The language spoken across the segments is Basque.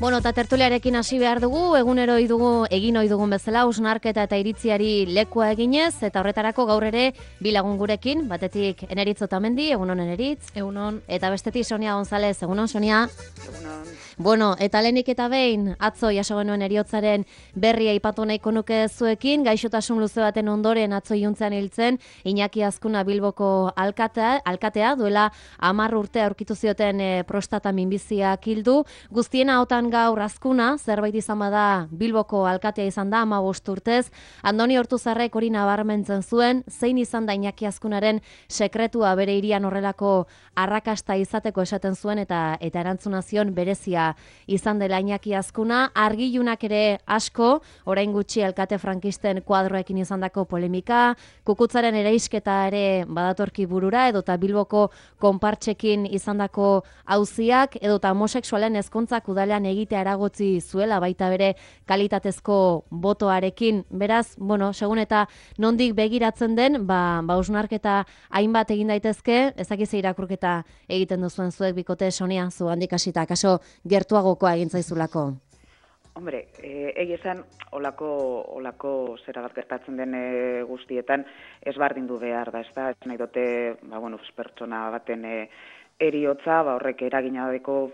Bueno, eta tertuliarekin hasi behar dugu, egin ohi dugun bezala, hausnarketa eta iritziari lekua eginez, eta horretarako gaur ere bi lagun gurekin, batetik Eneritz Otamendi, egunon Eneritz. Egunon. Eta bestetik Sonia González, egunon Sonia. Egunon. Bueno, eta lehenik eta behin, atzo jaso genuen heriotzaren berria aipatu nahiko nuke zuekin, gaixotasun luze baten ondoren atzo iluntzean hiltzen, Iñaki Azkuna Bilboko alkatea duela 10 urte aurkitu zioten prostata minbiziak hildu, guztien ahotan gaur Azkuna, zerbait izan bada Bilboko alkatea izan da 15 urtez, Andoni Ortuzarrek hori nabarmentzen zuen, zein izan da Iñaki Azkunaren sekretua bere hirian horrelako arrakasta izateko esaten zuen eta erantzuna zion berezia izan dela Iñaki Azkuna, argilunak ere asko, orain gutxi alkate frankisten kuadroekin izandako polemika, kukutzaren eraisketa ere badatorki burura, edota Bilboko konpartxekin izandako auziak, edota homosexualen ezkontzak udalean egitea eragotzi zuela baita bere kalitatezko botoarekin. Beraz, bueno, segun eta nondik begiratzen den, hausnarketa hainbat egin daitezke, ezakize irakurketa egiten duzuen zuek bikote, Sonia, zu handik hasita, kaso gertuagokoa egin zaizulako. Hombre, egia esan, olako zera bat gertatzen den guztietan, ez bardindu behar da, ez da, ez nahi dute, pertsona baten eriotza, horrek eragina deko,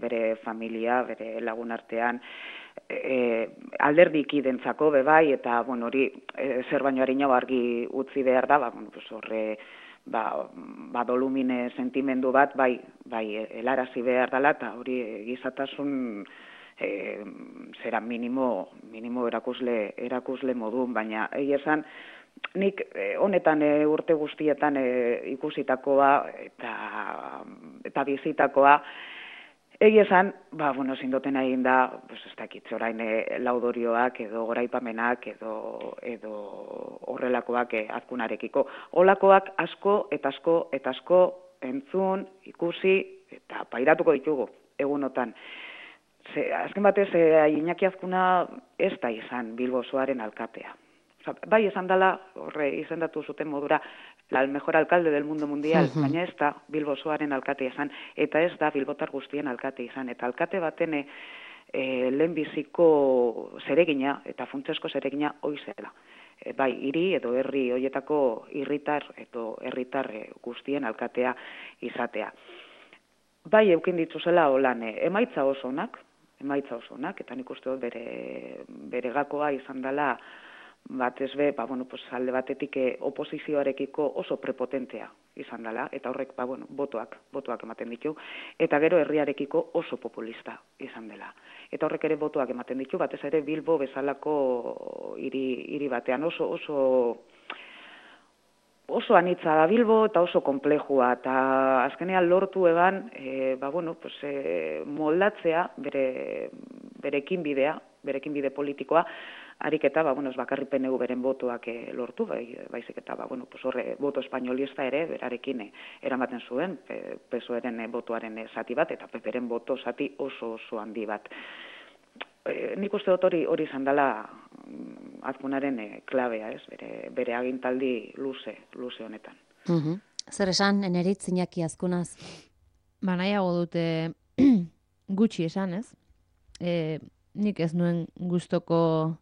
bere familia, bere lagun artean, alderdik identzako bebai, eta, hori, zer baino harinago argi utzi behar da, horre, dolumine sentimendu bat, bai, helarazi behar dela, eta hori gizatasun zera minimo erakusle modun, baina egia esan, nik honetan urte guztietan ikusitakoa eta bizitakoa, egia esan, zindoten egin da, ez dakit, orain laudorioak edo goraipamenak edo horrelakoak Azkunarekiko. Olakoak asko eta asko entzun, ikusi eta pairatuko ditugu egunotan. Azken batez, Iñaki Azkuna ez da izan Bilbo osoaren alkatea. Bai esan dela, horre izendatu zuten modura, el mejor alcalde del mundo mundial, baina ez da Bilbo osoaren alkatea izan, eta ez da Bilbotar guztien alkate izan. Eta alkate baten lehenbiziko zeregina, eta funtsesko zeregina hoizela. Bai, hiri edo herri horietako herritar guztien alkatea izatea. Bai, eukin dituzela holan, emaitza oso onak, eta nik uste dut bere gakoa izan dela, batez be, alde batetik oposizioarekiko oso prepotentea izan dela, eta horrek, botoak ematen ditu, eta gero herriarekiko oso populista izan dela. Eta horrek ere botoak ematen ditu, batez ere Bilbo bezalako hiri batean oso anitza da Bilbo eta oso komplejua, eta azkenean lortu eban, moldatzea berekin bide politikoa, harik eta, ez bakarri PNU beren botoak lortu, baizik eta, horre boto espainolista ere, berarekin eramaten zuen, PSOEren botoaren zati bat, eta PPren boto zati oso handi bat. Nik uste dut hori izan dela Azkunaren klabea, bere agintaldi luze honetan. Zer esan, Eneritz Iñaki Azkunaz? Nahiago dute gutxi esan, ez? Nik ez nuen gustoko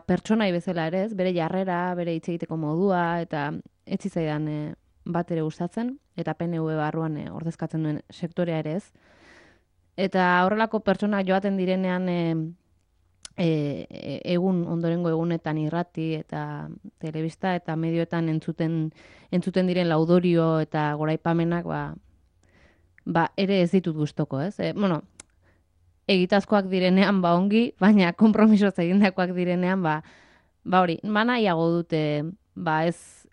pertsonai bezala ere, ez? Bere jarrera, bere hitz egiteko modua, eta ez zitzaidan bat ere gustatzen, eta PNV barruan ordezkatzen duen sektorea ere ez. Eta horrelako pertsona joaten direnean ondorengo egunetan irrati eta telebista eta medioetan entzuten diren laudorio eta goraipamenak ere ez ditut gustoko, ez? Egitazkoak direnean ongi, baina konpromisoz egindakoak direnean hori, nahiago dute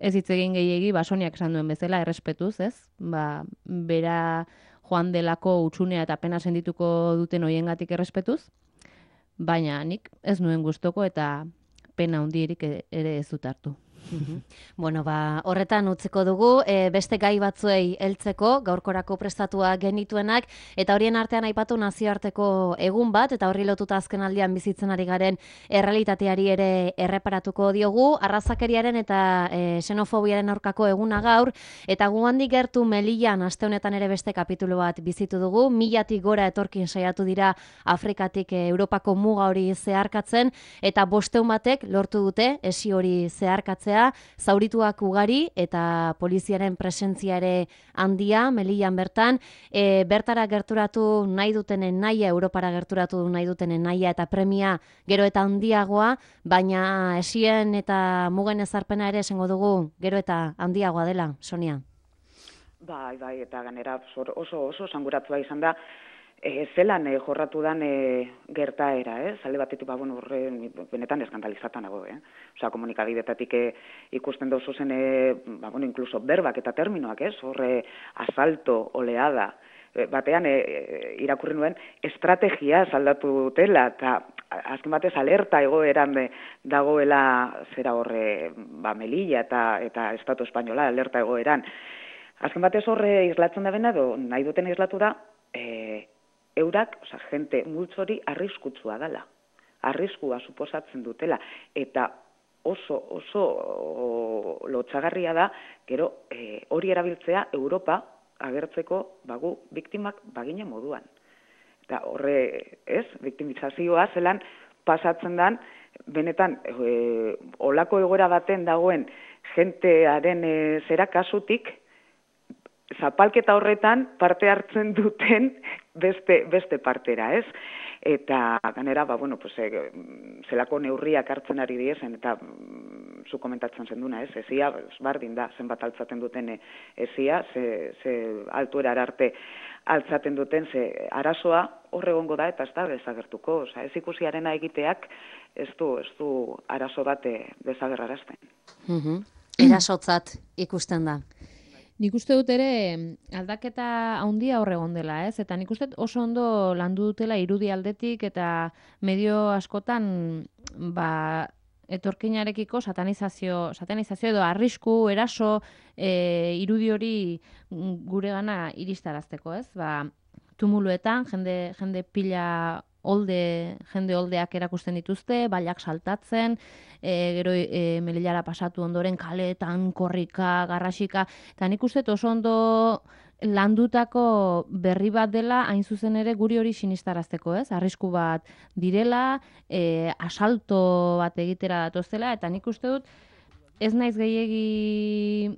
ez hitz egin gehiegi, Soniak esan duen bezala errespetuz, ez? Bera joan delako utxunea eta pena sendituko duten hoiengatik errespetuz, baina nik ez nuen gustoko eta pena handierik ere ez dut hartu. Bueno, horretan utziko dugu, beste gai batzuei heltzeko, gaurkorako prestatua genituenak, eta horien artean aipatu nazioarteko egun bat, eta horri lotuta azken aldian bizitzen ari garen errealitateari ere erreparatuko diogu, arrazakeriaren eta xenofobiaren aurkako eguna gaur, eta gu handik gertu Melillan aste honetan ere beste kapitulu bat bizitu dugu, 1000 gora etorkin saiatu dira Afrikatik Europako muga hori zeharkatzen, eta 500 batek lortu dute esi hori zeharkatzea, zaurituak ugari eta poliziaren presentzia ere handia Melillan bertan, bertara gerturatu nahi dutenen nahia, Europara gerturatu nahi dutenen nahia eta premia gero eta handiagoa, baina esien eta mugen ezarpena ere esango dugu gero eta handiagoa dela, Sonia. Bai, eta ganera oso sanguratua izan da, zelan jorratu dan gertaera, alde batetik, horre, benetan eskandalizatan nago, Osea, komunikabidetatik ikusten dozu zen, incluso berbak eta terminoak, horre, asalto, oleada, batean irakurri nuen estrategia aldatu dutela, eta azken batez alerta egoeran dagoela zera horre, Melilla eta Estatu Espainola alerta egoeran. Azken batez horre islatzen da bena, nahi duten islatu da, eurak, jente multzori arriskutsua dela. Arriskua suposatzen dutela. Eta oso lotxagarria da, gero hori erabiltzea Europa agertzeko biktimak bagine moduan. Eta horre, biktimizazioa zelan pasatzen dan, benetan, olako egoera baten dagoen jentearen zera kasutik, zapalketa horretan parte hartzen duten beste partera, Eta ganera, zelako neurriak hartzen ari diezen, eta zu komentatzen zenduna, ezia, bardin da, zenbat altzaten duten ezia, ze altuera arte altzaten duten, ze arazoa horregongo da, eta ez da desagertuko, ez ikusiarena egiteak ez du arazo bat desagerrarazten. Erasotzat ikusten da. Nik uste dut ere aldaketa handia horregon dela, eta nik uste oso ondo landu dutela irudi aldetik eta medio askotan etorkinarekiko satanizazio edo arrisku, eraso, irudi hori guregana iristarazteko, tumuluetan jende pila jende oldeak erakusten dituzte, bailak saltatzen, gero Melillara pasatu ondoren kaleetan, korrika, garrasika, eta nik uste oso ondo landutako berri bat dela, hain zuzen ere guri hori sinistarazteko, arrisku bat direla, asalto bat egitera datozela, eta nik uste dut ez naiz gehiegi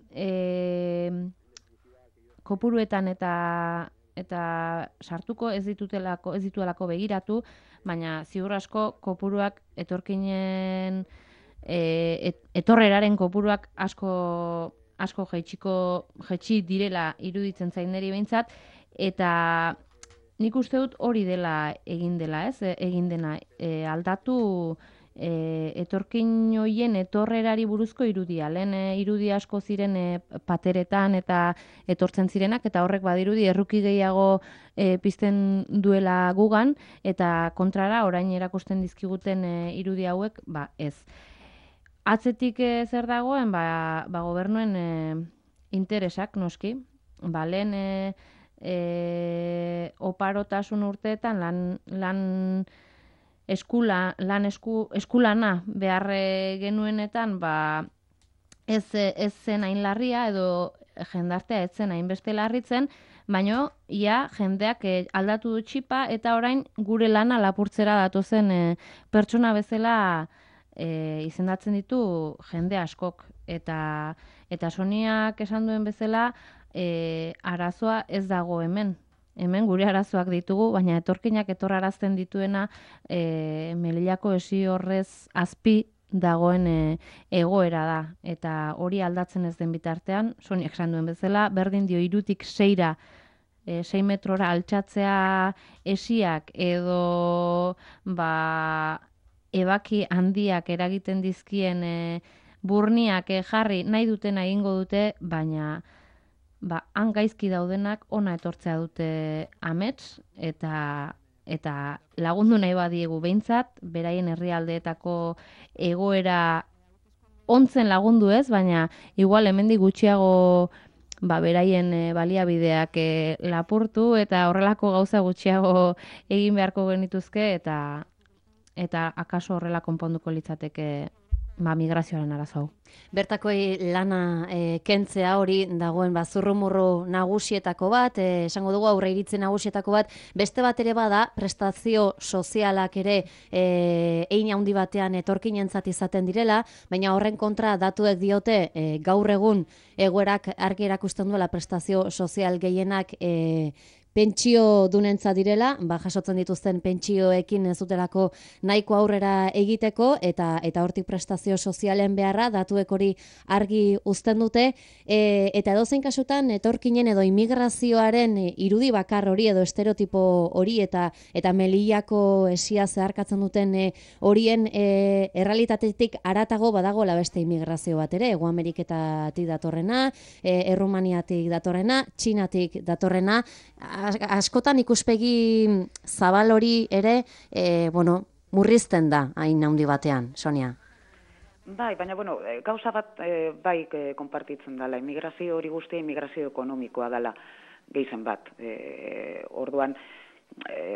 kopuruetan eta sartuko ez dituelako begiratu, baina ziur asko kopuruak etorkinen etorreraren kopuruak asko jaitsi direla iruditzen zain niri behintzat, eta nik uste dut hori dela egin dena aldatu etorkin hoien etorrerari buruzko irudia. Lehen irudi asko ziren pateretan eta etortzen zirenak, eta horrek badirudi erruki gehiago pizten duela gugan, eta kontrara orain erakusten dizkiguten irudi hauek, ez. Atzetik zer dagoen, gobernuen interesak noski. Lehen oparotasun urteetan lan eskulana behar genuenetan ez zen hain larria edo jendartea ez zen hainbeste larritzen, baina jendeak aldatu du txipa eta orain gure lana lapurtzera datozen pertsona bezala izendatzen ditu jende askok. Eta Soniak esan duen bezala arazoa ez dago hemen. Hemen gure arazoak ditugu, baina etorkinak etorrarazten dituena Melillako esi horrez azpi dagoen egoera da. Eta hori aldatzen ez den bitartean, Soniak esan duen bezala, berdin dio 3 6 6 metrora altxatzea esiak edo ebaki handiak eragiten dizkien burniak jarri nahi dutena egingo dute, baina han gaizki daudenak ona etortzea dute amets, eta lagundu nahi badiegu behintzat, beraien herrialdeetako egoera ontzen lagundu ez, baina igual hemendik gutxiago beraien baliabideak lapurtu eta horrelako gauza gutxiago egin beharko genituzke eta akaso horrela konponduko litzateke migrazioaren arazo hau. Bertakoi lana kentzea hori dagoen zurrumurru nagusietako bat, esango dugu aurre iritzi nagusietako bat, beste bat ere bada prestazio sozialak ere hein handi batean etorkinentzat izaten direla, baina horren kontra datuek diote gaur egun egoerak argi erakusten duela prestazio sozial gehienak pentsio dunentza direla, jasotzen dituzten pentsioekin ez dutelako nahiko aurrera egiteko eta hortik prestazio sozialen beharra datuek hori argi uzten dute eta edozein kasutan etorkinen edo immigrazioaren irudi bakar hori edo estereotipo hori eta melillako esia zeharkatzen duten horien errealitatetik haratago badagoela beste immigrazio bat ere, Hego Ameriketatik datorrena, Errumaniatik datorrena, Txinatik datorrena, askotan ikuspegi zabal hori ere, murrizten da hain handi batean, Sonia. Bai, baina, gauza bat bai konpartitzen dela. Immigrazio hori guztia immigrazio ekonomikoa dela gehizen bat. Orduan,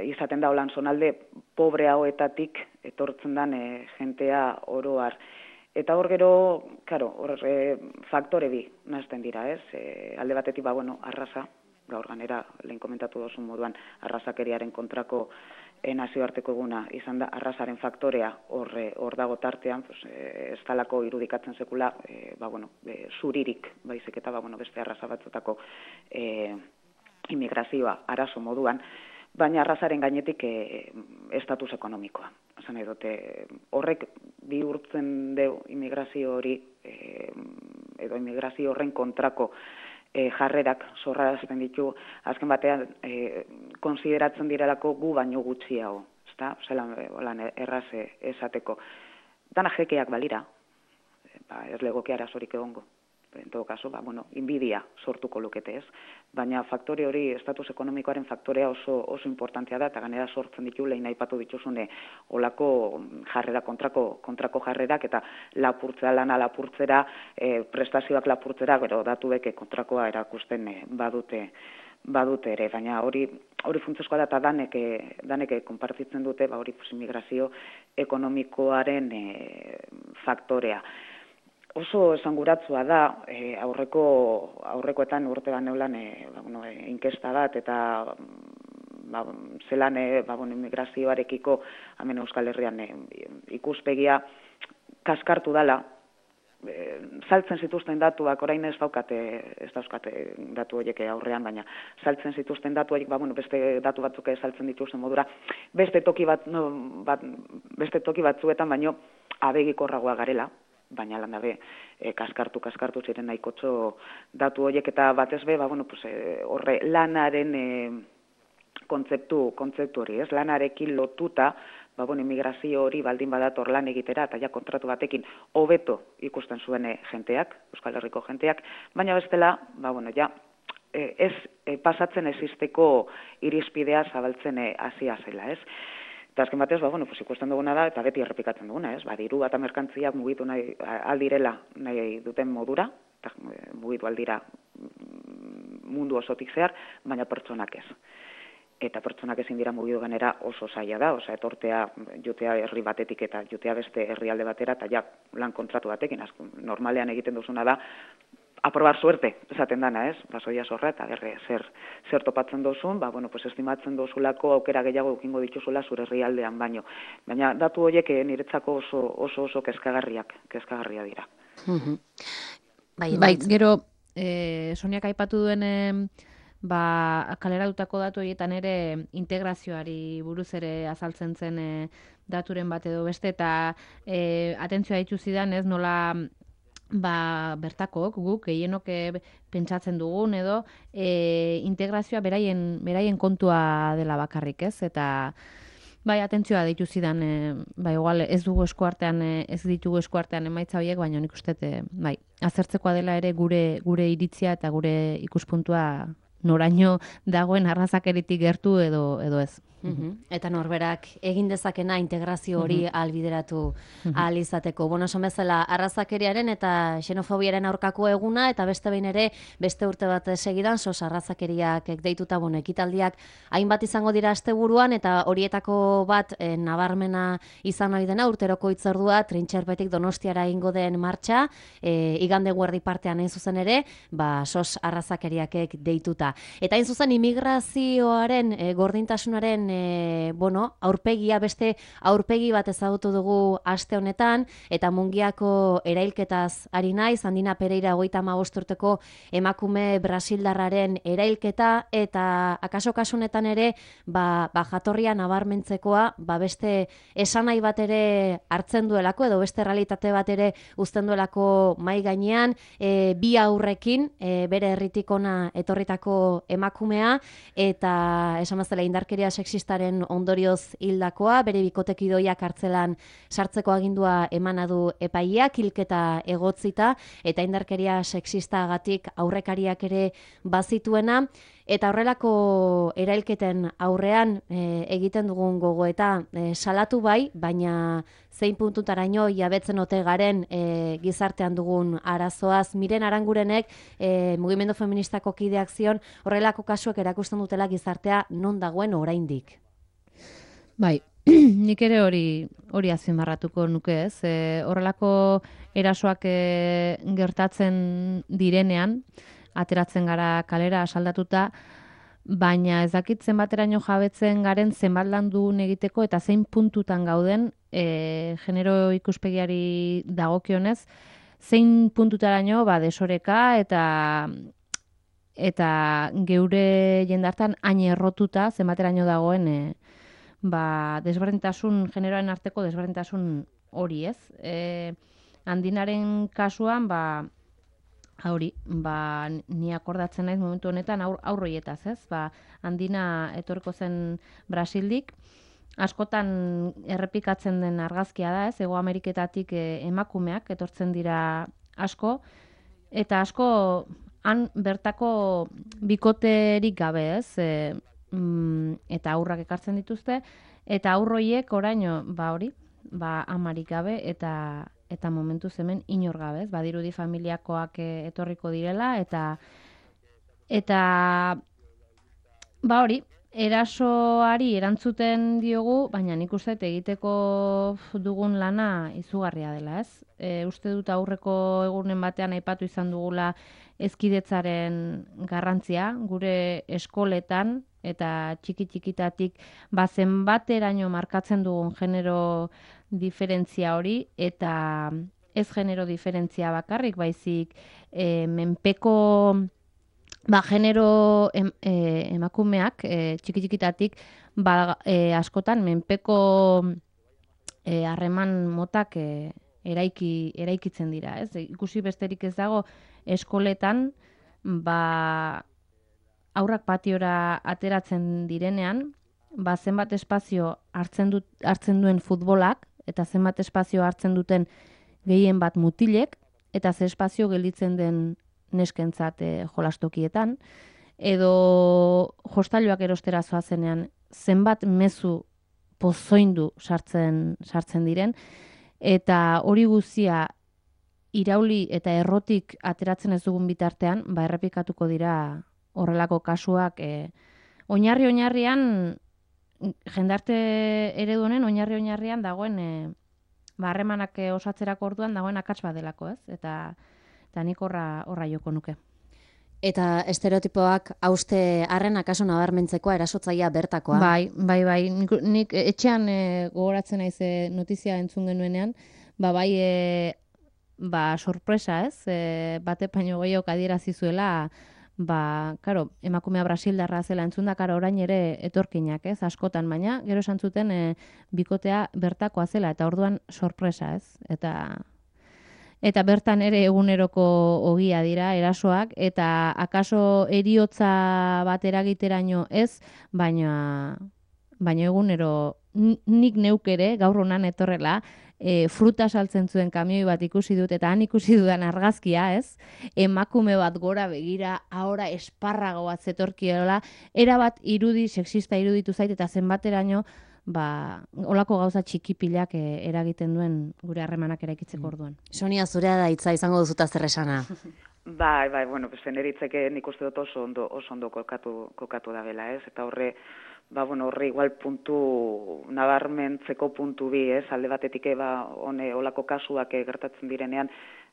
izaten da holan zonalde pobre hauetatik etortzen den jentea oroar. Eta hor gero, hor faktore bi nazten dira, ez? Alde batetik, arraza, gaur ganera lehen komentatu dozun moduan arrazakeriaren kontrako nazioarteko eguna izan da arrazaren faktorea hor dago tartean, ez talako irudikatzen sekula zuririk baizik eta beste arraza batzutako immigrazioa arazo moduan, baina arrazaren gainetik estatus ekonomikoa. Esan nahi dute, horrek bihurtzen deu immigrazio hori edo immigrazio horren kontrako jarrerak zorrarazten ditu, azken batean konsideratzen direlako gu baino gutxiago, zelan erraze esateko. Dana jekeak balira, ez legoke arazorik egongo. En todo caso, inbidia sortuko lukete ez. Baina faktore hori, estatus ekonomikoaren faktorea oso importantea da, eta ganera sortzen ditu, lehen aipatu dituzune, olako jarrera, kontrako jarrerak, eta lana lapurtzera, prestazioak lapurtzera, gero datuek kontrakoa erakusten badute ere, baina hori funtsezkoa da eta danek konpartitzen dute, hori immigrazio ekonomikoaren faktorea. Oso esanguratsua da, aurrekoetan urte neulan inkesta bat, eta zelan immigrazioarekiko hemen Euskal Herrian ikuspegia kaskartu dela, saltzen zituzten datuak, orain ez dauzkate datu horiek aurrean, baina saltzen zituzten datu horiek, beste datu batzuk saltzen dituzten modura, beste toki batzuetan baino abegikorragoa garela, baina landabe kaskartu ziren nahikotxo datu horiek eta batez be, horre lanaren kontzeptu hori, ez? Lanarekin lotuta, immigrazio hori baldin badator lan egitera eta ja kontratu batekin hobeto ikusten zuen jenteak, Euskal Herriko jenteak, baina bestela, ez pasatzen existeko irizpidea zabaltzen hasia zela, ez? Eta azken batez, ikusten duguna da, eta beti errepikatzen duguna, ez? Diru eta merkantziak mugitu nahi aldirela nahi duten modura, eta mugitu aldira mundu osotik zehar, baina pertsonak ez. Eta pertsonak ezin dira mugitu ganera oso zaila da, etortea jutea herri batetik eta jutea beste herrialde batera, eta ja lan kontratu batekin, normalean egiten duzuna da, aprobar suerte, esaten dana, ez? Basoia zorra, eta zer topatzen dozun, estimatzen dozulako aukera gehiago eukingo dituzula zure herrialdean baino. Baina datu horiek niretzako oso kezkagarria dira. Bai, gero, Soniak aipatu duen kaleratutako datu horietan ere integrazioari buruz ere azaltzen zen daturen bat edo beste, eta atentzioa ditu zidan, ez, nola bertakok, guk gehienok pentsatzen dugun edo integrazioa beraien kontua dela bakarrik, ez? Eta bai, atentzioa deitu zidan, igual ez ditugu eskuartean emaitza horiek, baina nik uste, bai, azertzekoa dela ere gure iritzia eta gure ikuspuntua noraino dagoen arrazakeritik gertu edo ez. Eta norberak egin dezakena integrazio hori albideratu ahal izateko. Bueno, esan bezala, arrazakeriaren eta xenofobiaren aurkako eguna, eta beste behin ere, beste urte bat segidan, sos arrazakeriak deituta, ekitaldiak hainbat izango dira asteburuan, eta horietako bat nabarmena izan ohi dena, urteroko hitzordua, Trintxerpetik Donostiara egingo den martxa, igande guerdi partean hain zuzen ere, sos arrazakeriakek deituta. Eta hain zuzen, imigrazioaren, gordintasunaren aurpegia, beste aurpegi bat ezagutu dugu aste honetan, eta Mungiako erailketaz ari naiz, Andina Pereira 55 urteko emakume brasildarraren erailketa, eta akaso kasunetan ere, jatorria nabarmentzekoa, beste esanai bat ere hartzen duelako, edo beste realitate bat ere uzten duelako mai gainean, bi aurrekin, bere herritik ona etorritako emakumea, eta esan bezala indarkeria sexistaren ondorioz hildakoa, bere bikotekidoiak kartzelan sartzeko agindua emana du epaileak, hilketa egotzita, eta indarkeria sexistagatik aurrekariak ere bazituena, eta horrelako erailketen aurrean egiten dugun gogoeta salatu bai, baina zein puntutaraino jabetzen ote garen gizartean dugun arazoaz. Miren Arangurenek mugimendu feministako kideak zion horrelako kasuek erakusten dutela gizartea non dagoen oraindik. Bai, nik ere hori azpimarratuko nuke, ez? Horrelako erasoak gertatzen direnean, ateratzen gara kalera asaldatuta, baina ez dakit zenbateraino jabetzen garen zenbat lan dugun egiteko eta zein puntutan gauden genero ikuspegiari dagokionez, zein puntutaraino desoreka eta geure jendartan hain errotuta zenbateraino dagoen desberdintasun, generoaren arteko desberdintasun hori, ez? Andinaren kasuan, ni akordatzen naiz momentu honetan aurroietaz, ez? Andina etorko zen Brasildik, askotan errepikatzen den argazkia da, ez? Hego Ameriketatik emakumeak etortzen dira asko, eta asko han bertako bikoterik gabe, ez? Eta aurrak ekartzen dituzte, eta aurroiek oraino, amarik gabe, eta momentu hemen inor gabe, ez? Badirudi familiakoak etorriko direla, eta erasoari erantzuten diogu, baina nik uste egiteko dugun lana izugarria dela, ez? Uste dut aurreko egunen batean aipatu izan dugula hezkidetzaren garrantzia, gure eskoletan, eta txiki-txikitatik zenbateraino markatzen dugun genero diferentzia hori, eta ez genero diferentzia bakarrik, baizik menpeko genero emakumeak txiki-txikitatik askotan menpeko harreman motak eraikitzen dira, ez? Ikusi besterik ez dago eskoletan, aurrak patiora ateratzen direnean, zenbat espazio hartzen duen futbolak, eta zenbat espazio hartzen duten gehien bat mutilek, eta ze espazio gelditzen den neskentzat jolastokietan, edo jostailuak erostera zoazenean zenbat mezu pozoindu sartzen diren, eta hori guztia irauli eta errotik ateratzen ez dugun bitartean, errepikatuko dira horrelako kasuak, oinarrian, jendarte eredu honen oinarrian dagoen harremanak osatzerako orduan dagoen akats bat delako, ez? Eta nik horra joko nuke. Eta estereotipoak hauste arren akaso nabarmentzekoa erasotzailea bertakoa. Bai. Nik etxean gogoratzen naiz notizia entzun genuenean, sorpresa, ez? Bate baino gehiago adierazi zuela, emakumea brasildarra zela entzunda, orain ere etorkinak, ez? Askotan, baina gero esan zuten bikotea bertakoa zela, eta orduan sorpresa, ez? Eta bertan ere eguneroko ogia dira erasoak, eta akaso heriotza bat eragiteraino ez, baina egunero nik neuk ere, gaur honan etorrela, fruta saltzen zuen kamioi bat ikusi dut, eta han ikusi dudan argazkia, ez? Emakume bat gora begira, ahora esparrago bat zetorkiola, erabat sexista iruditu zait, eta zenbateraino, olako gauza txikipilak eragiten duen gure harremanak eraikitzeko orduan. Sonia, zurea da hitza izango duzuta zer esana. Bai, bueno, neritzeke nik uste dut oso ondo kokatu da bela, ez? Eta horre igual puntu nabarmentzeko puntu bi, ez? Alde batetik olako kasuak gertatzen direnean,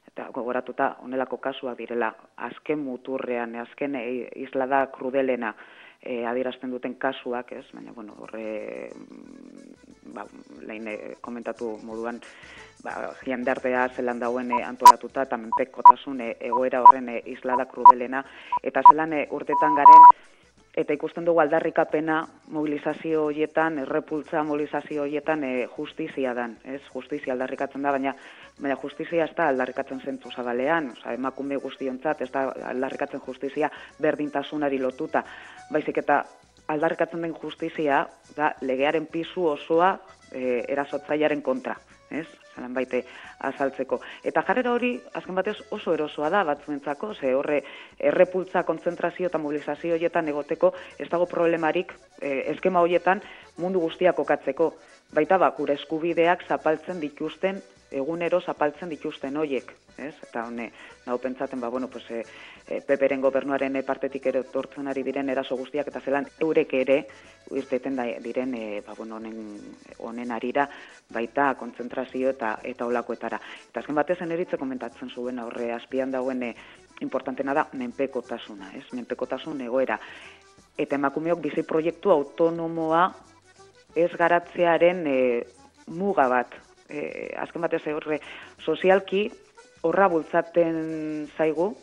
eta gogoratuta honelako kasuak direla azken muturrean, azken islada krudelena adierazten duten kasuak, ez? Baina, horre lehen komentatu moduan, jendartea zelan dauen antolatuta eta menpekotasun egoera horren islada krudelena, eta zelan urtetan garen, eta ikusten dugu aldarrikapena mobilizazio horietan, errepultza mobilizazio horietan justizia dan, ez? Justizia aldarrikatzen da, baina justizia ez da aldarrikatzen zentzu zabalean, emakume guztiontzat, ez da aldarrikatzen justizia berdintasunari lotuta, baizik eta aldarrikatzen den justizia da legearen pisu osoa erasotzailearen kontra, ez? Zelan baite azaltzeko. Eta jarrera hori, azken batez, oso erosoa da batzuentzako, ze horre errepultza, kontzentrazio eta mobilizazio horietan egoteko ez dago problemarik eskema horietan mundu guztia kokatzeko. Baita gure eskubideak zapaltzen dituzten, egunero zapaltzen dituzten hoiek, ez? Eta nago pentsaten, Peperen gobernuaren partetik ere tortzen ari diren eraso guztiak, eta zelan eurek ere, irteten diren honen arira, baita kontzentrazio eta olakoetara. Eta azken batez eritze komentatzen zuen horre azpian dauen importantena da menpekotasuna, ez? Menpekotasun egoera. Eta emakumeok bizi proiektu autonomoa ez garatzearen muga bat. Azken batez horre sozialki horra bultzaten zaigu,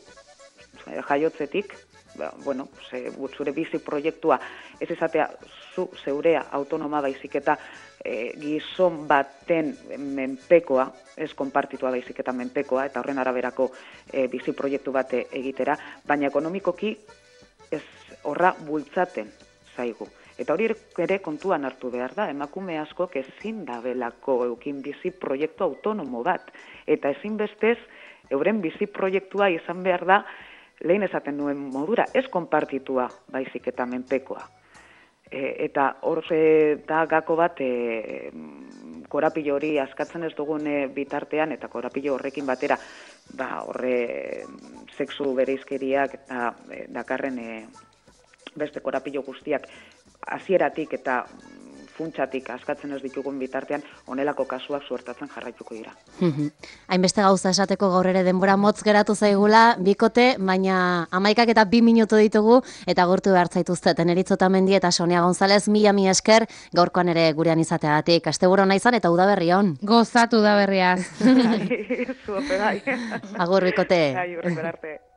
jaiotzetik, zure bizi proiektua ez izatea zeurea autonoma baizik eta gizon baten menpekoa, ez konpartitua baizik eta menpekoa, eta horren araberako bizi proiektu bat egitera, baina ekonomikoki ez horra bultzaten zaigu. Eta hori ere kontuan hartu behar da, emakume askok ezin dabelako eukin bizi proiektu autonomo bat. Eta ezin bestez, euren bizi proiektua izan behar da, lehen esaten nuen modura, ez konpartitua baizik eta menpekoa. Eta hor da gako bat, korapilo hori askatzen ez dugun bitartean, eta korapilo horrekin batera, horre sexu bereizkeriak eta dakarren beste korapilo guztiak hasieratik eta funtsatik askatzen ez ditugun bitartean, honelako kasuak suertatzen jarraituko dira. Hainbeste gauza esateko gaur ere denbora motz geratu zaigula, bikote, baina 11 eta 2 minutu ditugu, eta agurtu behar zaituzte Teneritz Otamendi eta Sonia González, mila esker, gaurkoan ere gurean izateagatik. Asteburu ona izan eta udaberri on. Gozatu udaberriaz. Zuope bai. Agur bikote. Agur arte.